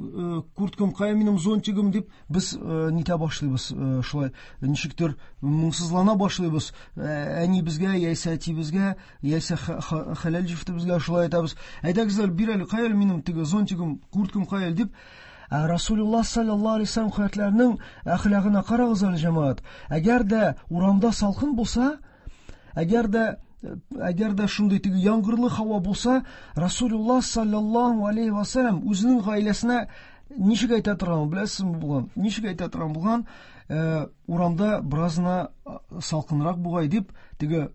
курткам, кая минем зонтигым дип без нитә башлыйбыз, шулай ничектер моңсызлана башлыйбыз. Әни безгә, яисә әти безгә, яисә хәләл җефетебезгә шулай әйтәбез. Әйдәгез әле, бир әле, кая әле минем теге зонтигым, курткам кая әле дип. Ә Расулуллаһ саллаллаһу алейһи вәсәлләм хәзрәтләренең әхлагына карагыз әле, җәмәгать. Әгәр дә урамда салкын булса, әгәр дә шундый теге яңгырлы һава булса, Расулуллаһ саллаллаһу алейһи вәсәлләм үзенең гаиләсенә ничек әйтә торган, беләсезме булган? Ничек әйтә торган булган? Урамда беразына салкынрак бугай дип, теге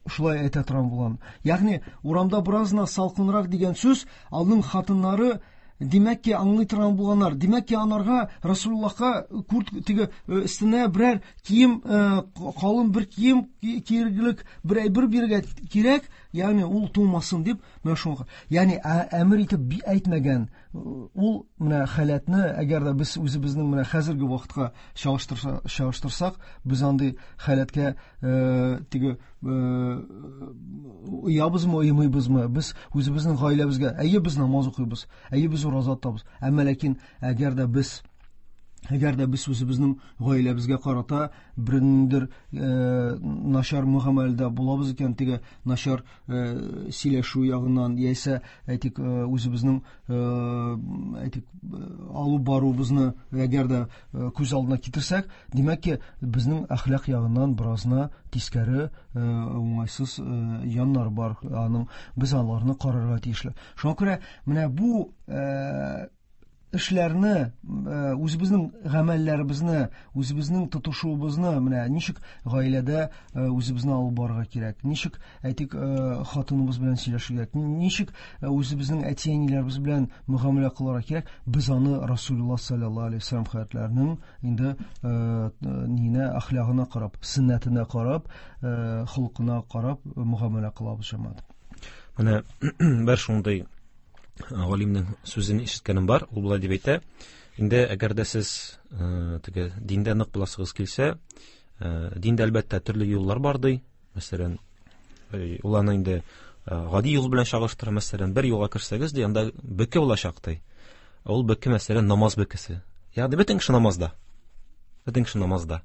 шулай әйтә торган булган. Ягъни урамда беразына салкынрак дигән сүз аның хатыннары димәк ки аңлый торган булганнар. Димәк ки анарга Расулуллаһка курт теге өстенә берәр кием, калын бер кием киерлек бер әйбер бирергә кирәк, ягъни ул туңмасын дип, менә шуңа. Ягъни әмер итеп әйтмәгән. Ул менә халәтне, әгәр дә без үзебезнең менә хәзерге вакытка чагыштырсак, без андый халәткә теге уябызмы, уймыйбызмы? Без үзебезнең гаиләбезгә, әйе, без намаз укыйбыз, әйе, без ураза тотабыз. Әмма ләкин әгәр дә без үзебезнең гаиләбезгә карата берниндер начар мөгамәләдә булабыз икән, теге начар сөйләшү ягыннан, яисә әйтик үзебезнең әйтик алып баруыбызны әгәр дә күз алдына китерсәк, димәк ки, безнең әхлак ягыннан беразына тискәре уңайсыз яннар бар, аның без аларны карарга тиешле. Шуңа күрә менә бу эшләрне, үзебезнең гамәлләребезне, үзебезнең тотышуыбызны, менә ничек гаиләдә үзебезне алып барырга кирәк, ничек әйтик хатыныбыз белән сөйләшергә, ничек үзебезнең әти-әниләребез белән мөгамәлә кылырга кирәк, без аны Расулуллаһ саллаллаһу алейһи вәсәлләм хәзрәтләренең инде нинә әхлагына карап, сөннәтенә карап, холкына карап мөгамәлә кылабыз, җәмәгать. Менә бер шундый галимнең сүзен ишеткәнем бар, ул болай дип әйтә: инде әгәр дә сез теге диндә нык буласыгыз килсә, диндә әлбәттә төрле юллар бар ди. Мәсәлән, ул аны инде гади юл белән чагыштыра. Мәсәлән, бер юлга керсәгез ди, анда бөке булачак ди. Ул бөке, мәсәлән, намаз бөкесе. Ягъни бөтен кеше намазда. Бөтен кеше намазда.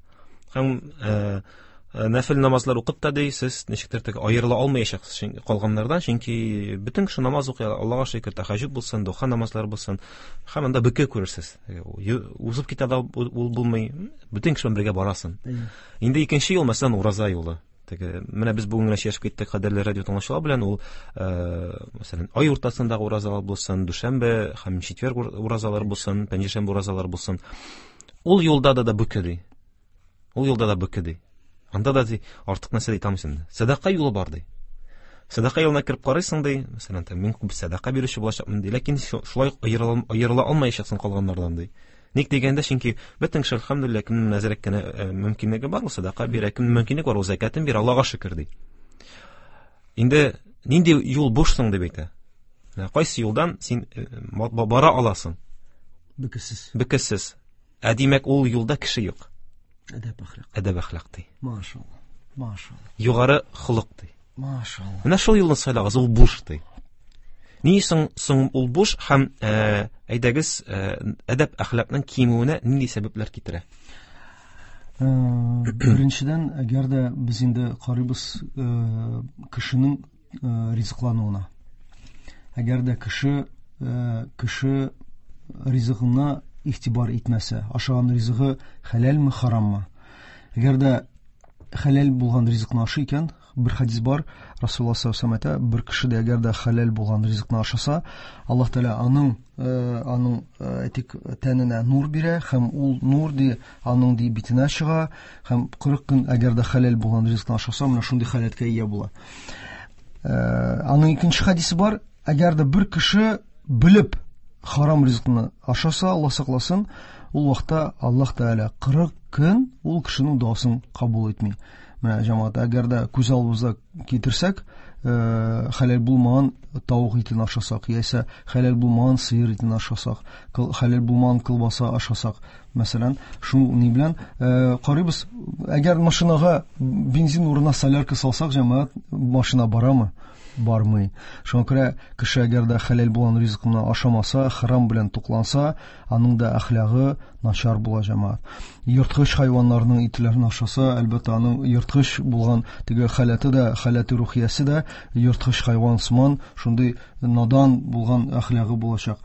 Һәм нәфил намазлар укып та ди, сез ничектер теге аерыла алмаячаксыз калганнардан, чөнки бөтен кеше намаз укый, Аллага шөкер, тәһәҗҗүд булсын, духа намазлары булсын, һәм анда бөке күрерсез. Узып китә дә ул булмый, бөтен кеше белән бергә барасың. Инде икенче юл, мәсәлән, ураза юлы. Теге менә без бүген генә сөйләшеп киттек кадерле радио тыңлаучылар белән, ул мәсәлән, ай уртасындагы уразалар булсын, дүшәмбе һәм четверг уразалар булсын, пәнҗешәмбе уразалар булсын. Ул юлда да бөке ди. Ул юлда да бөке ди. Анда да ди, артык нәрсә әйтә алмыйсың. Сәдака юлы бар ди. Сәдака юлына кереп карыйсың ди, мәсәлән, мин күп сәдака бирүче булачакмын ди, ләкин шулай аерыла алмаячаксың калганнардан ди. Ник дигәндә, чөнки бөтен кеше, әлхәмдүлилләһ, кемнең әзрәк кенә мөмкинлеге бар, ул сәдака бирә, кемнең мөмкинлеге бар, ул зәкятен бирә, Аллага шөкер ди. Инде нинди юл буш соң дип әйтә. Кайсы юлдан син бара аласың? Бөкесез. Бөкесез. Ә димәк, ул юлда кеше юк. Әдәп әхлак. Әдәп әхлак ди. Машалла. Машалла. Югары холык ди. Машалла. Менә шул юлны сайлагыз, ул буш ди. Ни соң ул буш һәм әйдәгез әдәп әхлакның кимүенә нинди сәбәпләр китерә? Беренчедән, әгәр дә без инде карыйбыз кешенең ризыклануына. Әгәр дә кеше ризыгына игътибар итмәсә, ашаган ризыгы хәләлме, хараммы? Әгәр дә хәләл булган ризыкны ашый икән, бер хадис бар, Расулуллаһ саллаллаһу алейһи ва сәлләм әйтә, бер кеше дә әгәр дә хәләл булган ризыкны ашаса, Аллаһ Тәгалә аның әйтик тәненә нур бирә, һәм ул нур ди аның ди битенә чыга, һәм 40 көн әгәр дә хәләл булган ризыкны ашаса, менә шундый халәткә ия була. Аның икенче хадисе бар, әгәр дә бер кеше белеп харам ризыкны ашаса, Аллаһ сакласын, ул вакытта Аллаһ Тәгалә 40 көн ул кешенең дуасын кабул итми. Менә җәмәгать, әгәр дә күз алдыбызда китерсәк, хәләл булмаган тавык итен ашасак, яисә хәләл булмаган сыер итен ашасак, хәләл булмаган колбаса ашасак, мәсәлән, шул ни белән карыйбыз, әгәр машинага бензин урынына солярка салсак, җәмәгать, машина барамы? бармый. Шуңа күрә кеше әгәр дә хәләл булган ризыкны ашамаса, харам белән тукланса, аның да әхлагы начар була, җәмәгать. Ерткыч хайваннарның итләрен ашаса, әлбәттә, аның ерткыч булган теге халәте дә, халәте рухиясе дә ерткыч хайван сыман шундый надан булган әхлагы булачак.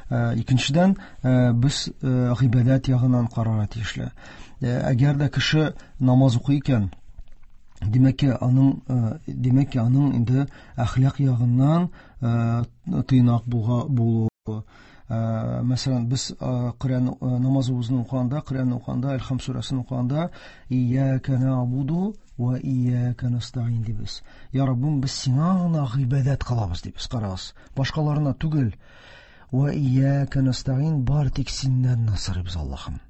Икенчедән, без гыйбадәт ягыннан карарга тиешле. Әгәр дә кеше намаз укый икән, димәк ки, аның инде әхлак ягыннан тыйнак булуы. Мәсәлән, без Коръән намазыбызны укыганда, Коръәнне укыганда, Әлхам сүрәсен укыганда, Ияка нәгъбуду ва ияка нәстәгыйн дибез. Я Раббым, без сиңа гына гыйбадәт кылабыз дибез, карагыз. Башкаларына түгел. Ва ияка нәстәгыйн, бар тик синнән генә сорыйбыз, Аллаһым.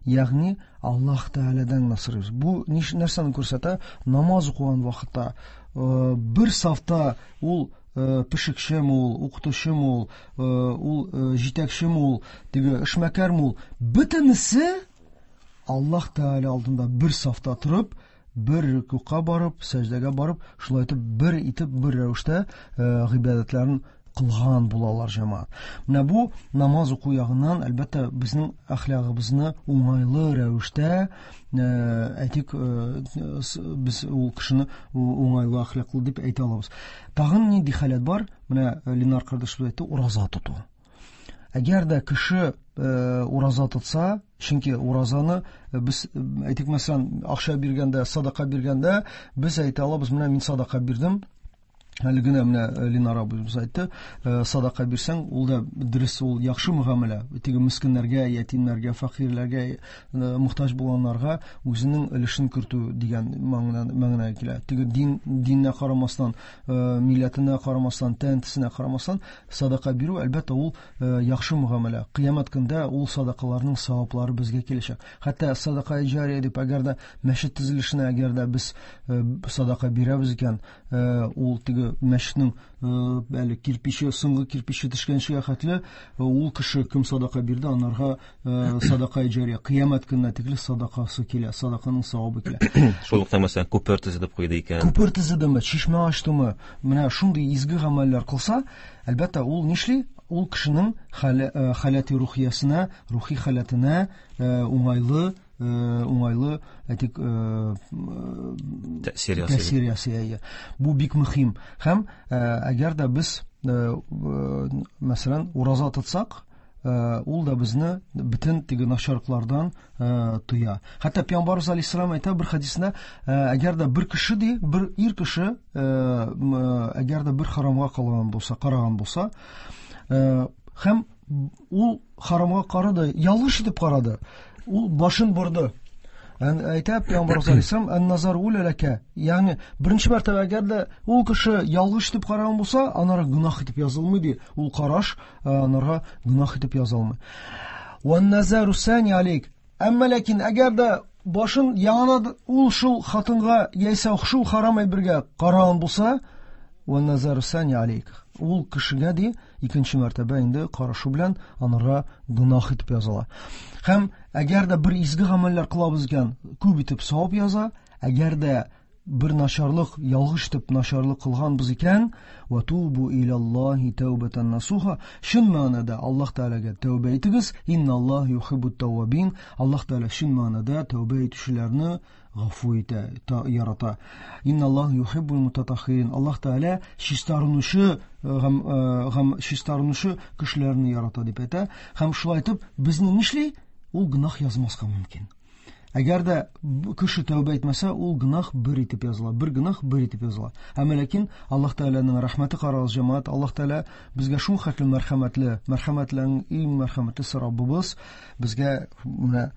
Ягъни Аллаһ Тәгаләдән генә сорыйбыз. Бу нәрсәне күрсәтә? Намаз укыган вакытта бер сафта ул пешекчеме ул, укытучымы ул, ул җитәкчеме ул, теге эшмәкәрме ул, бөтенесе Аллаһ Тәгалә алдында бер сафта торып, бер рукуга барып, сәҗдәгә барып, шулай итеп бер итеп бер рәвештә гыйбадәтләрен кылган булалар, җәмәгать. Менә бу намаз уку ягыннан, әлбәттә, безнең әхлагыбызны уңайлы рәвештә, әйтик, без ул кешене уңайлы әхлаклы дип әйтә алабыз. Тагын нинди халәт бар? Менә Ленар кардәшебез әйтте, ураза тоту. Әгәр дә кеше ураза тотса, чөнки уразаны без, әйтик, мәсәлән, акча биргәндә, садака биргәндә, без әйтә алабыз, менә мин садака бирдем. Әле генә менә Ленар абыебыз әйтте, садака бирсәң, ул да дөрес, ул яхшы мөгамәлә. Теге мескеннәргә, ятимнәргә, фәкыйрьләргә, мохтаҗ булганнарга үзенең өлешен кертү дигән мәгънәгә килә. Теге диненә карамастан, милләтенә карамастан, тән төсенә карамастан садака бирү, әлбәттә, ул яхшы мөгамәлә. Кыямәт көндә ул садакаларның саваплары безгә киләчәк. Хәтта садака җария дип, әгәр дә мәчет төзелешенә, әгәр дә без садака бирәбез икән, ул теге мәчетнең әле кирпиче, соңгы кирпиче төшкәнчегә хәтле, ул кеше кем садака бирде, анарга садака җария. Кыямәт көненә тикле садакасы килә, садаканың савабы килә. Шул ук мәсәлән, күпер төзедеп куйды икән. Күпер төзедеме, чишмә ачтымы, менә шундый изге гамәлләр кылса, әлбәттә, ул нишли? Ул кешенең халәти рухиясенә, рухи халәтенә уңайлы, әйтик, тәэсир ясый. Тәэсир ясый, әйе. Бу бик мөһим. Һәм әгәр дә без, мәсәлән, ураза тотсак, ул да безне бөтен теге начарлыклардан тыя. Хәтта Пәйгамбәрбез алейһиссалам әйтә бер хәдисендә, әгәр дә бер кеше ди, бер ир кеше, әгәр дә бер харамга калган булса, караган булса, һәм ул харамга карады, ялгыш итеп карады, ул башын борды. Әйтә Пәйгамбәрбез алейһиссалам, ан-назар уля ләкә, ягъни беренче мәртәбә әгәр дә ул кеше ялгыш итеп караган булса, анара гөнаһ итеп язылмый ди. Ул караш анарга гөнаһ итеп язылмый. Ван-назару сани алейк. Әмма ләкин әгәр дә башын яңадан ул шул хатынга яисә шул харам әйбергә караган булса, ван-назару сани алейк. Ул кешегә ди икенче мәртәбә инде карашу белән анарга гөнаһ итеп языла. Һәм әгәр дә бер изге гамәлләр кылабыз икән, күп итеп савап яза. Әгәр дә бер начарлык, ялгыш итеп начарлык кылганбыз икән, ва тубу илаллаһи тәүбәтән насуха, чын мәгънәдә Аллаһ Тәгаләгә тәүбә итегез, инналлаһ юхиббут тәввабин, Аллаһ Тәгалә чын мәгънәдә тәүбә итүчеләрне гафу итә, ярата. Инналлаһ юхиббул мутатаххирин, Аллаһ Тәгалә һәм чистарынучы кешеләрне ярата дип әйтә. Һәм шулай итеп безне нишли? Ул гөнаһ язмаска мөмкин. Әгәр дә кеше тәүбә итмәсә, ул гөнаһ бер итеп языла, бер гөнаһ бер итеп языла. Әмма ләкин Аллаһ Тәгаләнең рәхмәте карагыз, җәмәгать, Аллаһ Тәгалә безгә шул хәтле мәрхәмәтле, мәрхәмәтләрнең иң мәрхәмәтлесе Раббыбыз безгә менә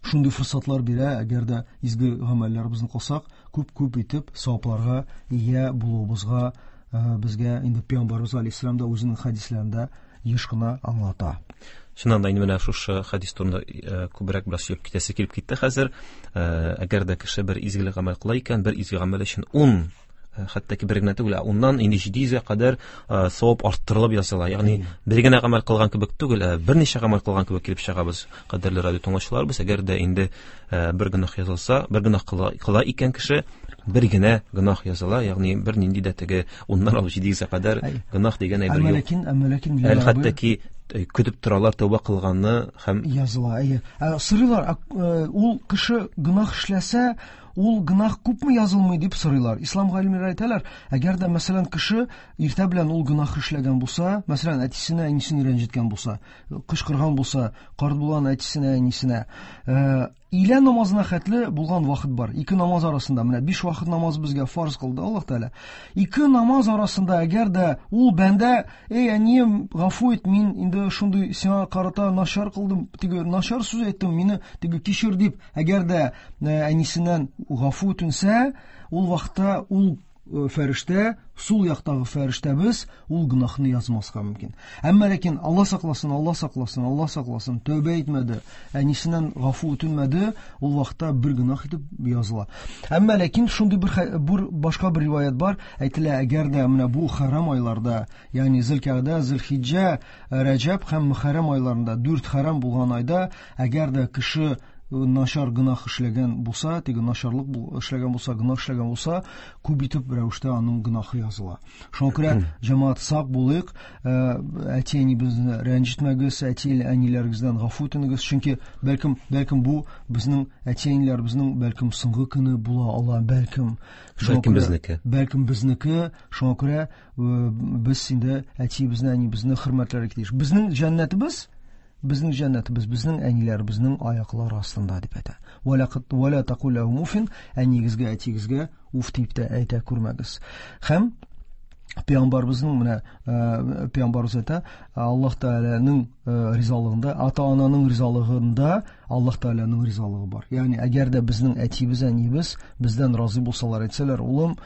шундый форсатлар бирә, әгәр дә изге гамәлләребезне кылсак, күп-күп итеп савапларга ия булуыбызга, безгә инде Пәйгамбәребез алейһиссалам да үзенең хәдисләрендә еш кына аңлата. Чыннан да инде менә шушы хәдис турында күбрәк бераз сөйләп китәсе килеп китте хәзер. Әгәр дә кеше бер изгелек гамәл кыла икән, бер изге гамәл өчен 10, хәтта ки бер генә түгел, ә уннан инде җиде йөзгә кадәр савап арттырылып языла. Ягъни бер генә гамәл кылган кебек түгел, ә берничә гамәл кылган кебек килеп чыгабыз, кадерле радио тыңлаучыларыбыз. Әгәр дә инде бер гөнаһ язылса, бер гөнаһ кыла икән кеше, бер генә гөнаһ языла, ягъни бер нинди дә теге 10-нан алып 700-гә кадәр гөнаһ дигән әйбер Әмма юк. ләкин, әмма ләкин Әле хәтта ки көтеп торалар тәүбә кылганны һәм языла. Әйе. Сорыйлар, ул кеше гөнаһ эшләсә, ул гөнаһ күпме язылмый дип сорыйлар. Ислам галимнәре әйтәләр, әгәр дә мәсәлән кеше иртә белән ул гөнаһ эшләгән булса, мәсәлән әтисенә, әнисен рәнҗеткән булса, кычкырган булса, карт булган әтисенә, әнисенә, илә намазына хәтле булган вакыт бар. Ике намаз арасында, менә 5 вакыт намаз безгә фарз кылды Аллаһ Тәгалә. Ике намаз арасында әгәр дә ул бәндә, эй әнием, гафу ит, мин инде шундый сиңа карата начар кылдым, теге начар сүз әйттем, мине теге кичер дип, әгәр дә әнисеннән гафу үтенсә, ул вакытта ул фәрештә, сул яктагы фәрештәбез ул гөнаһны язмаска мөмкин. Әмма ләкин Алла сакласын, Алла сакласын, Алла сакласын, тәүбә итмәде, әнисеннән гафу үтенмәде, ул вакытта бер гөнаһ итеп языла. Әмма ләкин шундый бер башка бер риваять бар, әйтелә, әгәр дә менә бу хәрам айларда, ягъни Зилкагда, Зилхиҗҗә, Рәҗәб һәм Мөхәррәм айларында, 4 хәрам булган айда, әгәр дә кеше начар гөнаһ эшләгән булса, теге начарлык эшләгән булса, гөнаһ эшләгән булса, күп итеп рәвештә аның гөнаһы языла. Шуңа күрә җәмәгать сак булыйк, әти-әнибезне рәнҗетмәгез, әти-әниләрегездән гафу үтенегез, чөнки бәлкем бу безнең әти-әниләребезнең бәлкем соңгы көне була ала, бәлкем. Шуңа Бәлкем күрә безнеке. Бәлкем безнеке, шуңа күрә без инде әтиебезне, әнибезне хөрмәтләргә тиеш. Безнең җәннәтебез, безнең җәннәтебез, безнең әниләребезнең аяклары астында дип әйтә. Вәлә кыт, вәлә тәкул ләһум уфин, әнигезгә, әтигезгә уф дип тә әйтә күрмәгез. Һәм пәйгамбәребезнең менә пәйгамбәребез әйтә, Аллаһ Тәгаләнең ризалыгында, ата-ананың ризалыгында Аллаһ Тәгаләнең ризалыгы бар. Ягъни әгәр дә безнең әтиебез, әниебез бездән разый булсалар, әйтсәләр, улым,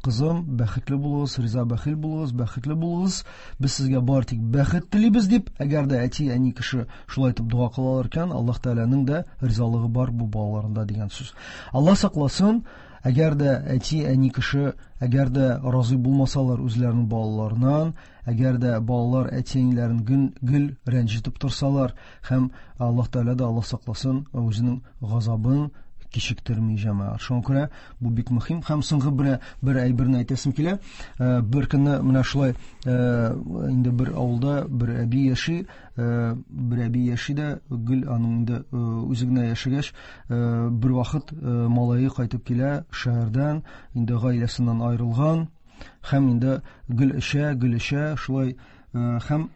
кызым, бәхетле булыгыз, риза бәхил булыгыз, бәхетле булыгыз, без сезгә бар тик бәхет телибез дип, әгәр дә әти, әни кеше шулай итеп дога кылалар икән, Аллаһ Тәгаләнең дә ризалыгы бар бу балаларында дигән сүз. Аллаһ сакласын, әгәр дә әти, әни кеше, әгәр дә разый булмасалар үзләренең балаларыннан, әгәр дә балалар әти-әниләрен гел рәнҗетеп торсалар, һәм Аллаһ Тәгалә дә, Аллаһ сакласын, үзенең газабын кичектерми җәмәгать. Шуңа күрә бу бик мөһим. Һәм соңгы бер әйберне әйтәсем килә. Бер көнне менә шулай инде бер авылда бер әби яши, бер әби яши дә, гел аның инде үзе генә яшәгәч, бер вакыт малае кайтып килә шәһәрдән, инде гаиләсеннән аерылган, һәм инде гел эчә, гел эчә, шулай һәм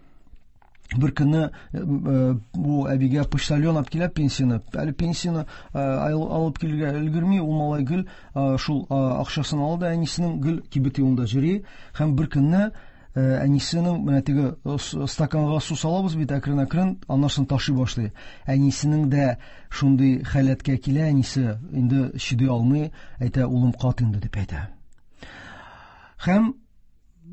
бер көнне бу әбигә почтальон алып килә пенсияне. Әле пенсияне алып килергә өлгерми, ул малай гел шул акчасын ала да әнисенең гел кибет юлында йөри. Һәм бер көнне әнисенең менә теге стаканга су салабыз бит әкрен-әкрен, аннан соң ташый башлый. Әнисенең дә шундый халәткә килә, әнисе инде чыдый алмый, әйтә, улым, кат инде дип әйтә. Һәм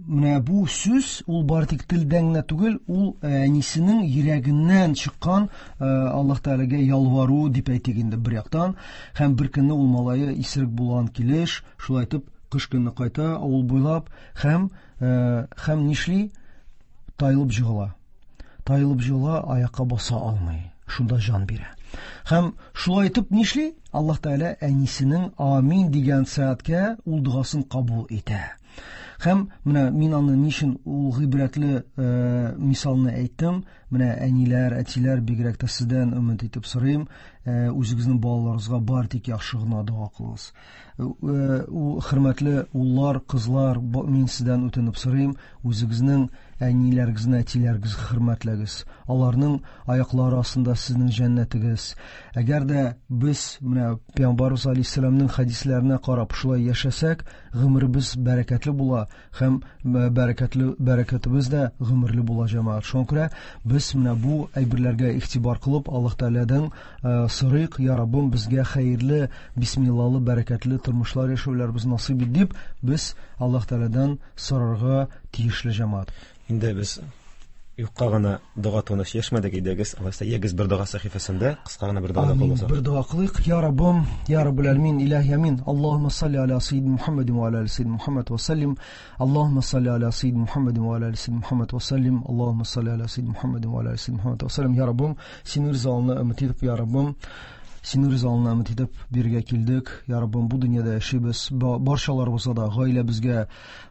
менә бу сүз ул бары тик телдән генә түгел, ул әнисенең йөрәгеннән чыккан Аллаһ Тәгаләгә ялвару дип әйтик инде бер яктан. Һәм бер көнне ул малае исерек булган килеш, шулай итеп кыш көне кайта авыл буйлап һәм нишли? Тайылып җыгыла. Тайылып җыгыла, аякка баса алмый. Шунда җан бирә. Һәм шулай итеп нишли? Аллаһ Тәгалә әнисенең амин дигән сәгатькә ул догасын кабул итә. Һәм менә мин аны ни өчен ул гыйбрәтле мисалны әйттем. Менә әниләр, әтиләр, бигрәк тә сездән өмет итеп сорыйм, үзегезнең балаларыгызга бар тик яхшы гына дога кылыгыз. Ул хөрмәтле уллар, кызлар, мин сездән үтенеп сорыйм, үзегезнең әниләрегезне, әтиләрегезне хөрмәтләгез. Аларның аяклары астында сезнең җәннәтегез. Әгәр дә без менә Пәйгамбәрбез алейһиссәламнең хәдисләренә карап шулай яшәсәк, гомеребез бәрәкәтле була һәм бәрәкәтебез дә гомерле була җәмәгать. Шуңа күрә без менә бу әйберләргә игътибар кылып, Аллаһ Тәгаләдән сорыйк, я Раббым, безгә хәерле, бисмиллалы, бәрәкәтле тормышлар яшәүләребез насыйп ит дип, без Аллаһ Тәгаләдән сорарга тиешле җәмәгать. Инде без юкка гына дога турында сөйләшмәдек, әйдәгез, алайса, ягез бер дога сәхифәсендә кыска гына бер дога Амин. кылсак. Бер дога кылыйк. Я Раббым, я Раббул Алямин, илаһи амин. Аллаһумма салли аля саййидина Мухаммадин ва аля али саййидина Мухаммад ва саллим. Аллаһумма салли аля саййидина Мухаммадин ва аля али саййидина Мухаммад ва саллим. Аллаһумма салли аля саййидина Мухаммадин ва аля али саййидина Мухаммад ва саллим. Я Раббым, синең ризалыгыңны өмет итеп, я Раббым, Синең ризалыгыңны өмет итеп биргә килдек. Я Раббым, бу дөньяда яшибез. Барчаларыбызга да, гаиләбезгә,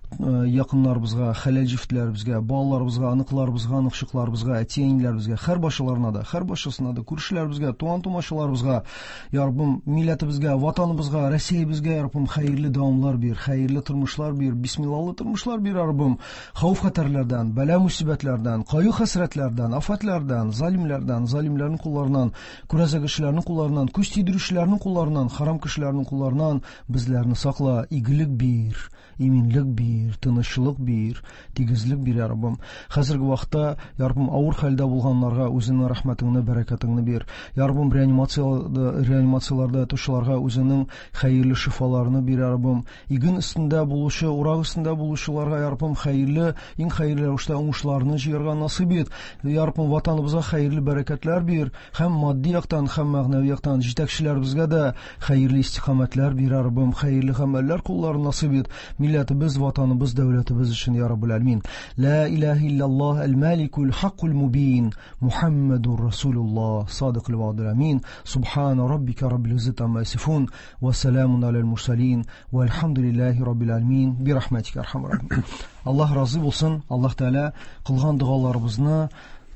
якыннарыбызга, хәләл җефетләребезгә, балаларыбызга, оныкларыбызга, оныкчыкларыбызга, әти-әниләребезгә, һәр башаларына да, һәр башасына да, күршеләребезгә, туган-тумачаларыбызга, Я Раббым, милләтебезгә, ватаныбызга, Россиябезгә, Я Раббым, хәерле дәвамлар бир, хәерле тормышлар бир, бисмиллалы тормышлар бир, Я Раббым. Хәвеф-хәтәрләрдән, бәла-мусибәтләрдән, кайгы-хәсрәтләрдән, афәтләрдән, залимләрдән, залимләрнең кулларыннан, күрәзә кешеләрнең кулларыннан, күз тидерүчеләрнең кулларыннан, харам кешеләрнең кулларыннан безләрне сакла, игелек бир, иминлек бир, тынычлык бир, тигезлек бир, Я Раббым. Хәзерге вакытта, Я Раббым, авыр хәлдә булганнарга үзеңнең рәхмәтеңне, бәрәкәтеңне бир. Я Раббым, реанимацияләрдә ятучыларга үзеңнең хәерле шифаларны бир, Я Раббым. Иген өстендә булучы, урак өстендә булучыларга, Я Раббым, хәерле, иң хәерле рәвештә уңышларны җыярга насыйп ит. Я Раббым, ватаныбызга хәерле бәрәкәтләр бир, һәм матди яктан, һәм мәгънәви яктан җитәкчеләребезгә дә хәерле истиқамәтләр бир, Я Раббым, хәерле гамәлләр кулларын насыйп ит. Милләтебез, ватаныбыз, дәүләтебез өчен, Я Раббул Әлмин. Ла илаһа иллаллаһ әл-Маликул Хаккул Мубин, Мухаммадур Расулуллаһ, садыкул ва'дул амин. Субхана раббика раббил иззати амма ясифун, ва саламун алал мурсалин, вальхамдулиллахи раббил аламин. Би рахматика архамар рахимин. Аллаһ разый булсын. Аллаһ Тәгалә кылган догаларыбызны,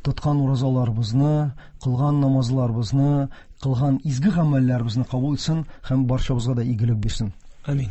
тоткан уразаларыбызны, кылган намазларыбызны, кылган изге гамәлләребезне кабул итсен һәм барчабызга да игелек бирсен. Амин.